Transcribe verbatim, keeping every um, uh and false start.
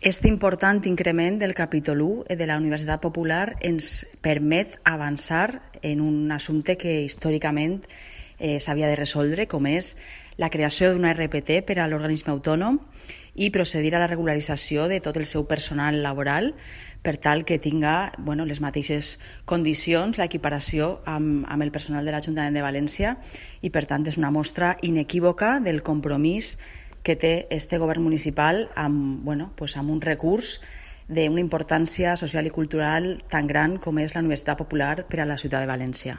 Este important increment del capítol u de la Universitat Popular ens permet avançar en un assumpte que històricament eh, s'havia de resoldre, com és la creació d'una R P T per a l'organisme autònom i procedir a la regularització de tot el seu personal laboral per tal que tinga bueno, les mateixes condicions, l'equiparació amb, amb el personal de l'Ajuntament de València i, per tant, és una mostra inequívoca del compromís que té este govern municipal amb, bueno, pues amb un recurs d'una importància social i cultural tan gran com és la Universitat Popular per a la ciutat de València.